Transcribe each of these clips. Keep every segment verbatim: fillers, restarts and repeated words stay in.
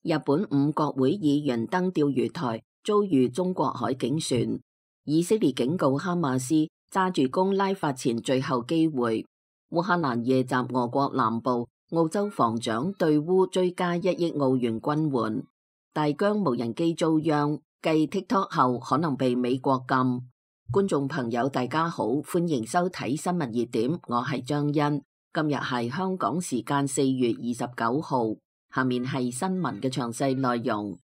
日本五國會議員登釣魚台遭遇中國海警船，以色列警告哈馬斯揸住攻拉法前最後機會。烏克蘭夜襲俄國南部，澳洲防長對烏追加一億澳元軍援。大疆無人機遭殃，繼 TikTok 後可能被美國禁。觀眾朋友大家好，歡迎收睇新聞熱點，我係張欣。今日係香港時間四月二十九號，下面係新聞嘅詳細內容。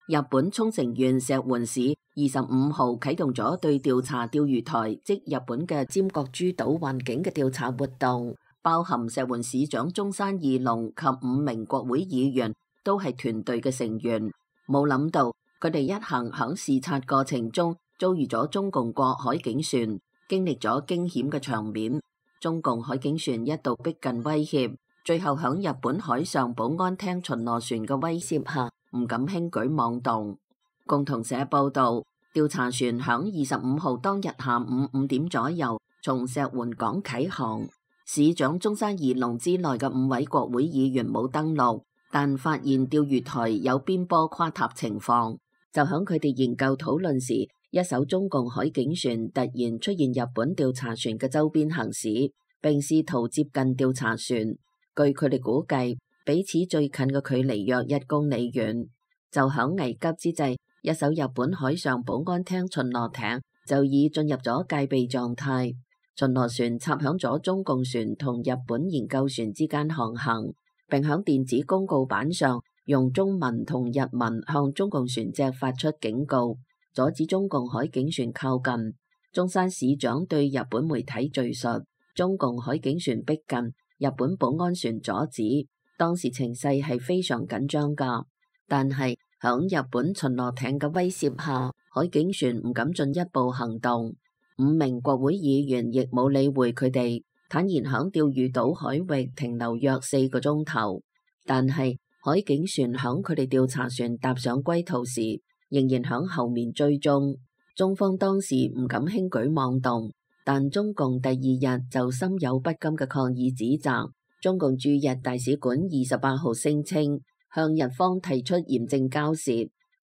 日本沖繩縣石垣市二十五號啟動咗對調查釣魚台，即日本嘅尖閣諸島環境嘅調查活動，包含石垣市長中山義隆及五名國會議員都係團隊嘅成員。冇諗到佢哋一行響視察過程中遭遇咗中共國海警船，經歷咗驚險嘅場面。中共海警船一度逼近威脅，最後響日本海上保安廳巡邏船嘅威懾下，唔敢輕舉妄動。共同社報道，調查船響二十五號當日下午五點左右從石垣港啟航，市長中山義隆之內嘅五位國會議員冇登陸，但發現釣魚台有邊坡垮塌情況，就響佢哋研究討論時，一艘中共海警船突然出現日本調查船嘅周邊行駛，並試圖接近調查船。據佢哋估計，彼此最近嘅距離約一公里遠。就響危急之際，一艘日本海上保安廳巡邏艇就已進入咗戒備狀態。巡邏船插響咗中共船同日本研究船之間航行，並響電子公告板上用中文同日文向中共船隻發出警告，阻止中共海警船靠近。中山市長對日本媒體敘述，中共海警船逼近，日本保安船阻止，當時情勢係非常緊張㗎。但係響日本巡邏艇嘅威懾下，海警船唔敢進一步行動。五名國會議員亦冇理會佢哋，坦言響釣魚島海域停留約四個鐘頭。但係海警船響佢哋調查船踏上歸途時，仍然響後面追蹤。中方當時唔敢輕舉妄動，但中共第二日就心有不甘嘅抗議指責。中共駐日大使館二十八號聲稱，向日方提出嚴正交涉，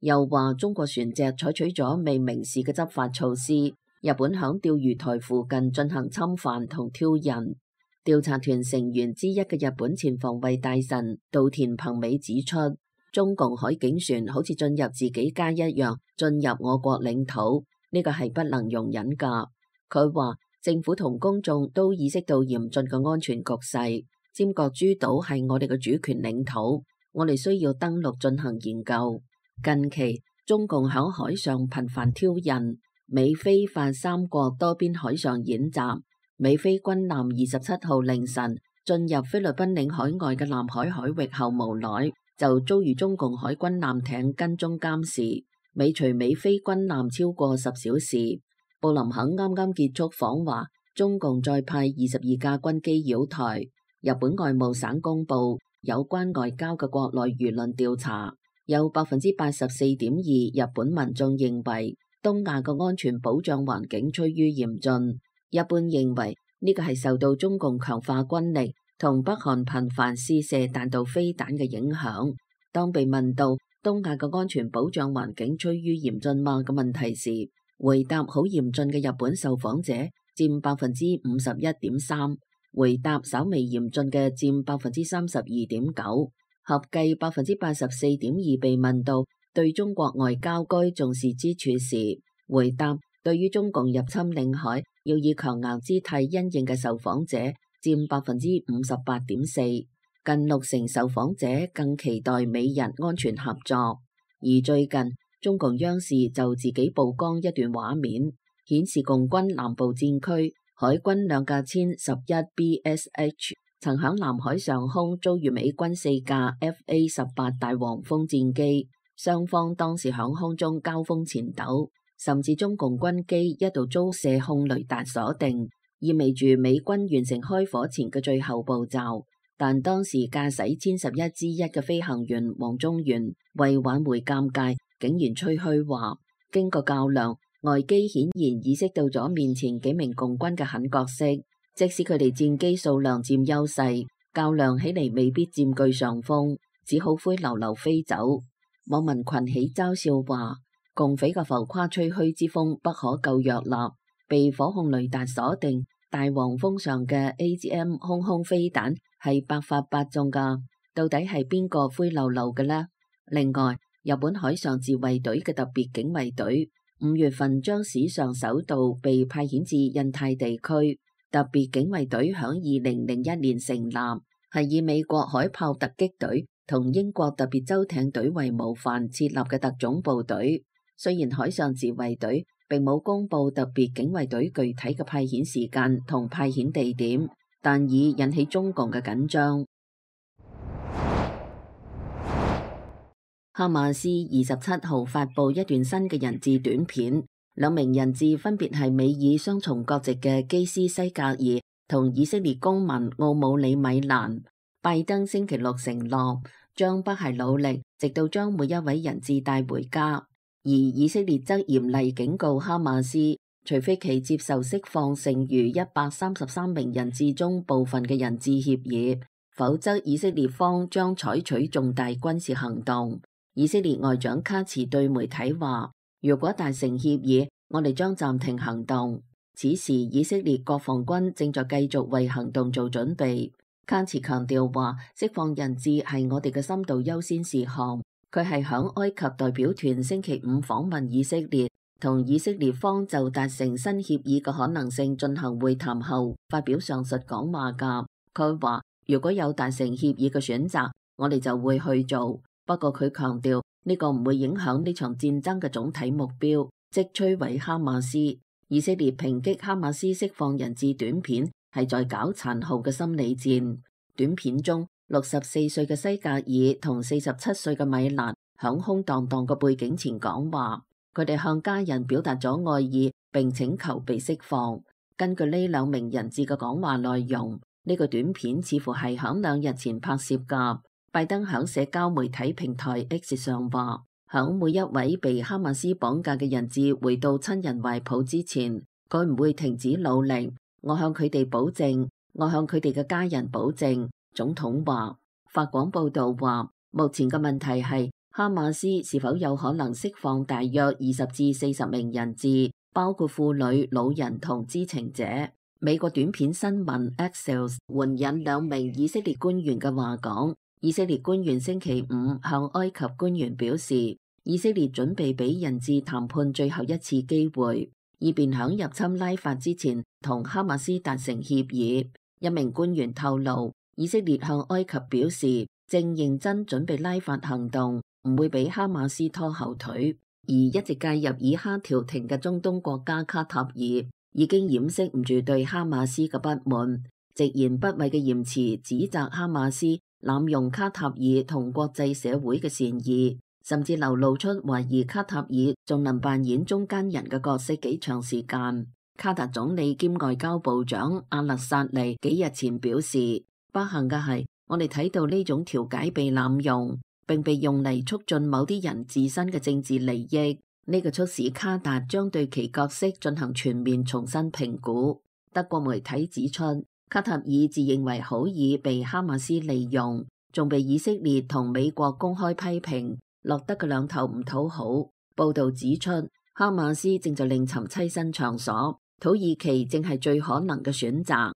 又話中國船隻採取咗未明示嘅執法措施，日本響釣魚台附近進行侵犯同挑釁。調查團成員之一嘅日本前防衛大臣稻田朋美指出，中共海警船好似進入自己家一樣進入我國領土，呢個係不能容忍㗎。佢話政府同公眾都意識到嚴峻嘅安全局勢，尖閣諸島係我哋嘅主權領土。我哋需要登陸進行研究。近期中共響海上頻繁挑釁，美菲法三國多邊海上演習。美菲軍艦二十七號凌晨進入菲律賓領海外嘅南海海域後，無奈就遭遇中共海軍艦艇跟蹤監視，尾隨美菲軍艦超過十小時。布林肯啱啱結束訪華，中共再派二十二架軍機擾台。日本外務省公布有關外交嘅國內輿論調查，有百分之八十四點二日本民眾認為東亞嘅安全保障環境趨於嚴峻。一般認為呢個係受到中共強化軍力同北韓頻繁試射彈道飛彈嘅影響。當被問到東亞嘅安全保障環境趨於嚴峻嗎嘅問題時，回答好嚴峻嘅日本受訪者佔百分之五十一點三。回答稍微嚴峻嘅佔百分之三十二點九，合計百分之八十四點二被問到對中國外交該重視之處時，回答對於中共入侵領海要以強硬姿態因應嘅受訪者佔百分之五十八點四，近六成受訪者更期待美日安全合作。而最近中共央視就自己曝光一段畫面，顯示共軍南部戰區海軍兩架殲十一 B S H 曾響南海上空遭遇美軍四架 F A 十八大黃蜂戰機，雙方當時響空中交鋒纏鬥，甚至中共軍機一度遭射控雷達鎖定，意味住美軍完成開火前嘅最後步驟。但當時駕駛殲十一之一嘅飛行員黃中元為挽回尷尬，竟然吹噓話經過較量，外機顯然意識到咗面前幾名共軍嘅狠角色，即使佢哋戰機數量佔優勢，較量起嚟未必佔據上風。只好灰溜溜飛走。網民群起嘲笑話，共匪嘅浮誇吹噓之風不可救藥啦！被火控雷達鎖定大黃蜂上嘅 A G M 空空飛彈係百發百中噶，到底係邊個灰溜溜嘅呢？另外，日本海上自衛隊嘅特別警衛隊五月份將史上首度被派遣至印太地區。特別警衛隊響二零零一年成立，係以美國海豹突擊隊同英國特別舟艇隊為模範設立嘅特種部隊。雖然海上自衛隊並冇公布特別警衛隊具體嘅派遣時間同派遣地點，但已引起中共嘅緊張。哈馬斯二十七號發布一段新嘅人質短片。兩名人質分別係美以雙重國籍嘅基斯西格爾同以色列公民奧姆里米蘭。拜登星期六承諾將不懈努力，直到將每一位人質帶回家。而以色列則嚴厲警告哈馬斯，除非其接受釋放剩餘一百三十三名人質中部分嘅人質協議，否則以色列方將採取重大軍事行動。以色列外長卡茨對媒體話，如果達成協議，我哋將暫停行動。此時，以色列國防軍正在繼續為行動做準備。卡茨強調話，釋放人質係我哋嘅深度優先事項。佢係響埃及代表團星期五訪問以色列，同以色列方就達成新協議嘅可能性進行會談後，發表上述講話㗎。佢話，如果有達成協議嘅選擇，我哋就會去做。不過佢強調，呢個唔會影響呢場戰爭嘅總體目標，即摧毀哈馬斯。以色列抨擊哈馬斯釋放人質短片係在搞殘酷嘅心理戰。短片中，六十四歲嘅西格爾同四十七歲嘅米蘭響空蕩蕩嘅背景前講話，佢哋向家人表達咗愛意並請求被釋放。根據呢兩名人質嘅講話內容，呢個短片似乎係響兩日前拍攝㗎。拜登響社交媒體平台 X 上話，響每一位被哈馬斯綁架嘅人質回到親人懷抱之前，佢唔會停止努力。我向佢哋保證，我向佢哋嘅家人保證。總統話。法廣報道話，目前嘅問題係哈馬斯是否有可能釋放大約二十至四十名人質，包括婦女、老人同知情者。美國短片新聞 Axios 援引兩名以色列官員嘅話講，以色列官員星期五向埃及官員表示，以色列準備俾人質談判最後一次機會，以便響入侵拉法之前同哈馬斯達成協議。一名官員透露，以色列向埃及表示正認真準備拉法行動，唔會俾哈馬斯拖後腿。而一直介入以哈調停嘅中東國家卡塔爾已經掩飾唔住對哈馬斯嘅不滿，直言不諱嘅言辭指責哈馬斯濫用卡塔爾同國際社會嘅善意，甚至流露出懷疑卡塔爾仲能扮演中間人嘅角色幾長時間。卡達總理兼外交部長阿勒薩尼幾日前表示，不幸嘅係我哋睇到呢種調解被濫用，並被用嚟促進某啲人自身嘅政治利益。呢個促使卡達將對其角色進行全面重新評估。德國媒體指出，卡塔爾自認為好易被哈馬斯利用，仲被以色列同美國公開批評，落得個兩頭唔討好。報道指出，哈馬斯正在另尋棲身場所，土耳其正係最可能嘅選擇。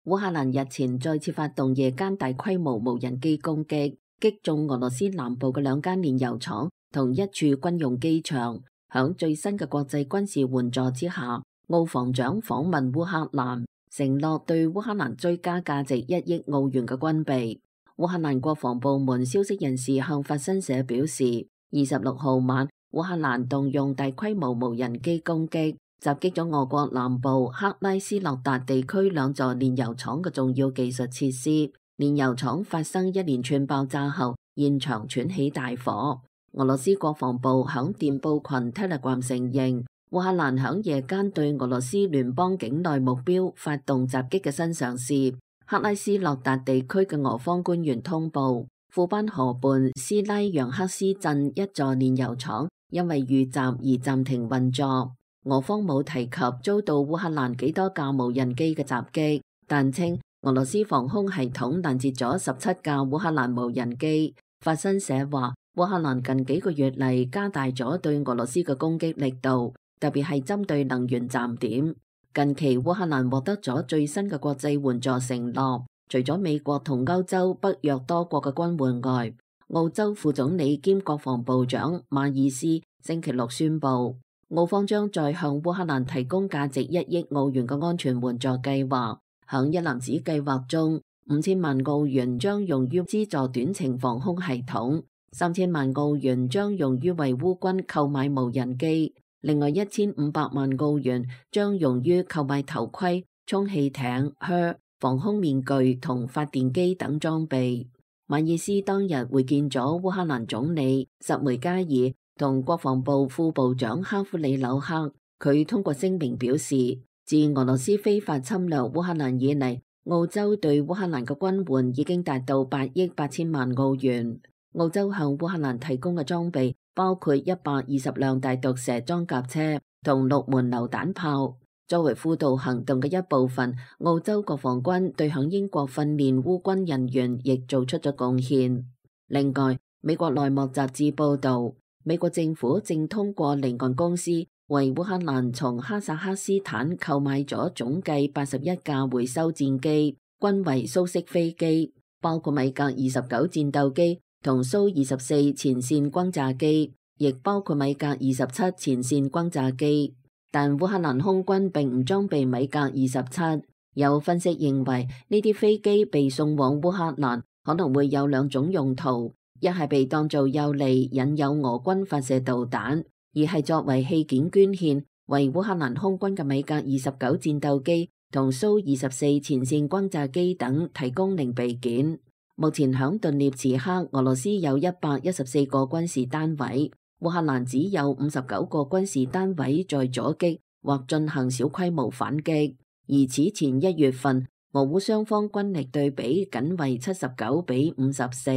烏克蘭日前再次發動夜間大規模無人機攻擊，擊中俄羅斯南部嘅兩間煉油廠同一處軍用機場。響最新嘅國際軍事援助之下，奧防長訪問烏克蘭，承諾對烏克蘭追加價值一億澳元嘅軍備。烏克蘭國防部門消息人士向法新社表示，二十六號晚，烏克蘭動用大規模無人機攻擊，襲擊咗俄國南部克拉斯諾達地區兩座煉油廠嘅重要技術設施。煉油廠發生一連串爆炸後，現場竄起大火。俄羅斯國防部響電報群 Telegram 承認，烏克蘭響夜間對俄羅斯聯邦境內目標發動襲擊嘅新嘗試。克拉斯諾達地區嘅俄方官員通報，庫班河畔斯拉揚克斯鎮一座煉油廠因為遇襲而暫停運作。俄方冇提及遭到烏克蘭幾多架無人機嘅襲擊，但稱俄羅斯防空系統攔截咗十七架烏克蘭無人機。法新社話，烏克蘭近幾個月嚟加大咗對俄羅斯嘅攻擊力度，特別係針對能源站點。近期烏克蘭獲得咗最新嘅國際援助承諾，除咗美國同歐洲北約多國嘅軍援外，澳洲副總理兼國防部長馬爾斯星期六宣布，澳方將再向烏克蘭提供價值一億澳元嘅安全援助計劃。響一籃子計劃中，五千萬澳元將用於資助短程防空系統，三千萬澳元將用於為烏軍購買無人機，另外一千五百萬澳元將用於購買頭盔、充氣艇、靴、防空面具同發電機等裝備。馬爾斯當日會見咗烏克蘭總理什梅加爾同國防部副部長哈夫里紐克。佢通過聲明表示，自俄羅斯非法侵略烏克蘭以嚟，澳洲對烏克蘭嘅軍援已經達到八億八千萬澳元。澳洲向烏克蘭提供嘅裝備包括一百二十輛大毒蛇裝甲車同六門榴彈炮。作為輔導行動嘅一部分，澳洲國防軍對響英國訓練烏軍人員亦做出咗貢獻。另外，美國內幕雜誌報道，美國政府正通過離岸公司為烏克蘭從哈薩克斯坦購買咗總計八十一架回收戰機，均為蘇式飛機，包括米格二十九戰鬥機同蘇二十四前線轟炸機，亦包括米格二十七前線轟炸機。但烏克蘭空軍並唔裝備米格二十七。有分析認為，呢啲飛機被送往烏克蘭可能會有兩種用途：一係被當做誘餌引誘俄軍發射導彈，二係作為器件捐獻，為烏克蘭空軍嘅米格二十九戰鬥機同蘇二十四前線轟炸機等提供零備件。目前響頓涅茨克，俄羅斯有一百一十四個軍事單位。烏克蘭只有五十九個軍事單位在阻擊或進行小規模反擊，而此前一月份俄烏雙方軍力對比僅為七十九比五十四，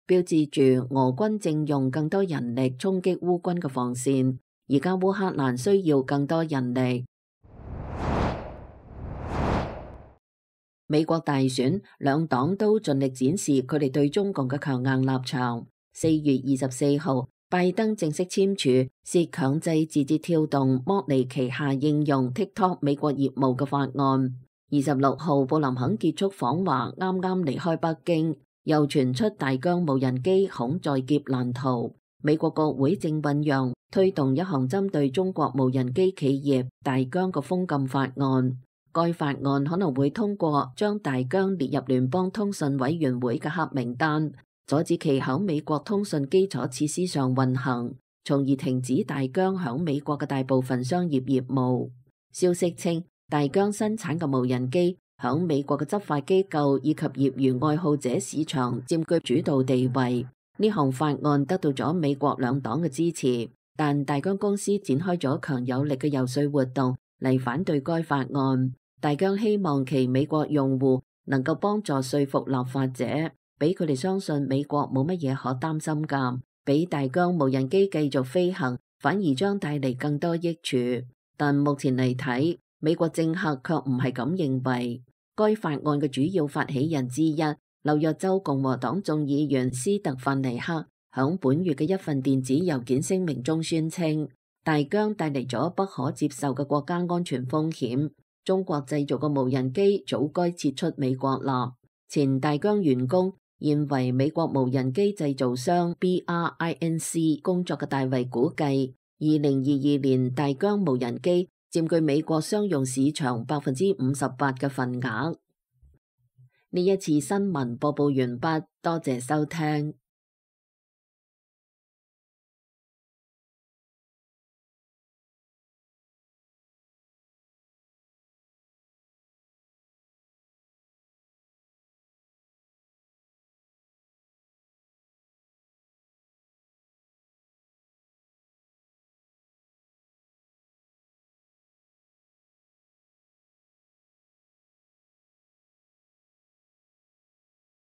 標誌住俄軍正用更多人力衝擊烏軍嘅防線。而家烏克蘭需要更多人力。美國大選，兩黨都盡力展示佢哋對中共嘅強硬立場。四月二十四號，拜登正式簽署涉強制字節跳動剝離旗下應用 TikTok 美國業務嘅法案。二十六號，布林肯結束訪華，啱啱離開北京，又傳出大疆無人機恐在劫難逃。美國國會正醞釀推動一項針對中國無人機企業大疆嘅封禁法案。該法案可能會通過將大疆列入聯邦通訊委員會嘅黑名單，阻止其喺美國通訊基礎設施上運行，從而停止大疆喺美國嘅大部分商業業務。消息稱，大疆生產嘅無人機喺美國嘅執法機構以及業餘愛好者市場佔據主導地位。呢項法案得到咗美國兩黨嘅支持，但大疆公司展開咗強有力嘅遊說活動嚟反對該法案。大疆希望其美國用戶能夠幫助說服立法者，俾佢哋相信美國冇乜嘢可擔心㗎，俾大疆無人機繼續飛行，反而將帶嚟更多益處。但目前嚟睇，美國政客卻唔係咁認為。該法案嘅主要發起人之一，紐約州共和黨眾議員斯特范尼克響本月嘅一份電子郵件聲明中宣稱，大疆帶嚟咗不可接受嘅國家安全風險。中國製造嘅無人機早該撤出美國啦。前大疆員工，現為美國無人機製造商 B R I N C 工作嘅大衛估計，二零二二年大疆無人機佔據美國商用市場百分之五十八嘅份額。呢一次新聞播報完畢，多謝收聽。